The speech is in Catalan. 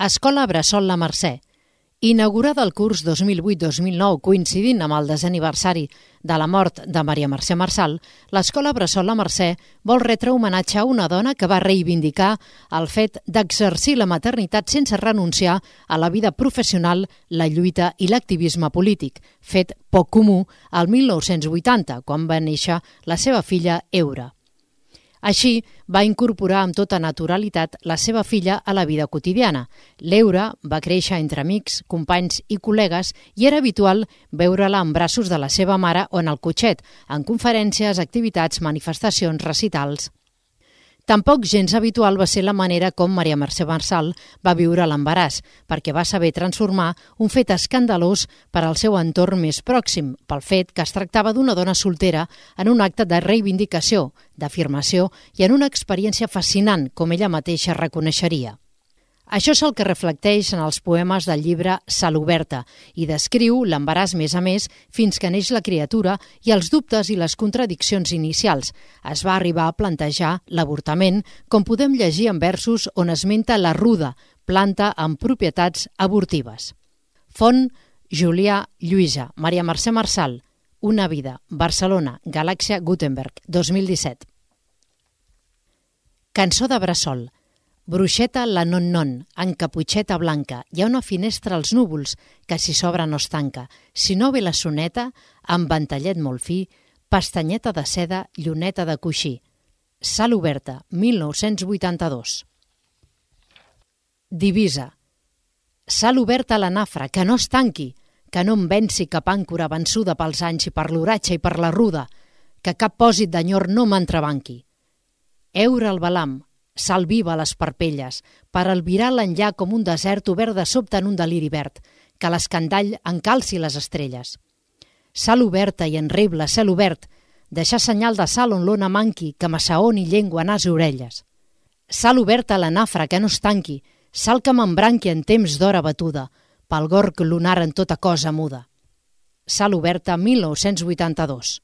Escola Bressol La Mercè. Inaugurada el curs 2008-2009 coincidint amb el desè aniversari de la mort de Maria Mercè Marçal, l'Escola Bressol La Mercè vol retre homenatge a una dona que va reivindicar el fet d'exercir la maternitat sense renunciar a la vida professional, la lluita i l'activisme polític, fet poc comú al 1980, quan va néixer la seva filla Eura. Així, va incorporar amb tota naturalitat la seva filla a la vida quotidiana. L'Eura va créixer entre amics, companys i col·legues i era habitual veure-la en braços de la seva mare o en el cotxet, en conferències, activitats, manifestacions, recitals. Tampoc gens habitual va ser la manera com Maria Mercè Marçal va viure l'embaràs, perquè va saber transformar un fet escandalós per al seu entorn més pròxim, pel fet que es tractava d'una dona soltera en un acte de reivindicació, d'afirmació i en una experiència fascinant, com ella mateixa reconeixeria. Això és el que reflecteix en els poemes del llibre Sal Oberta i descriu l'embaràs més a més fins que neix la criatura i els dubtes i les contradiccions inicials. Es va arribar a plantejar l'avortament, com podem llegir en versos on esmenta la ruda, planta amb propietats abortives. Font Julià Lluïsa, Maria Mercè Marçal, Una vida, Barcelona, Galàxia Gutenberg, 2017. Cançó de bressol. Bruixeta la non-non, en caputxeta blanca, hi ha una finestra als núvols que si s'obre no es tanca. Si no ve la soneta, amb ventallet molt fi, pestanyeta de seda, lluneta de coixí. Sal Oberta, 1982. Divisa. Sal oberta a la nafra, que no es tanqui, que no em venci cap àncora vençuda pels anys i per l'oratge i per la ruda, que cap pòsit d'enyor no m'entrebanqui. Eure el balam, sal viva a les parpelles, per albirar l'enllà com un desert obert de sobte en un deliri verd, que l'escandall encalci les estrelles. Sal oberta i enreble, cel obert, deixar senyal de sal on l'ona manqui, que m'assaoni llengua, nas i orelles. Sal oberta a la nafra, que no es tanqui, sal que m'embranqui en temps d'hora batuda, pel gorg lunar en tota cosa muda. Sal Oberta, 1982.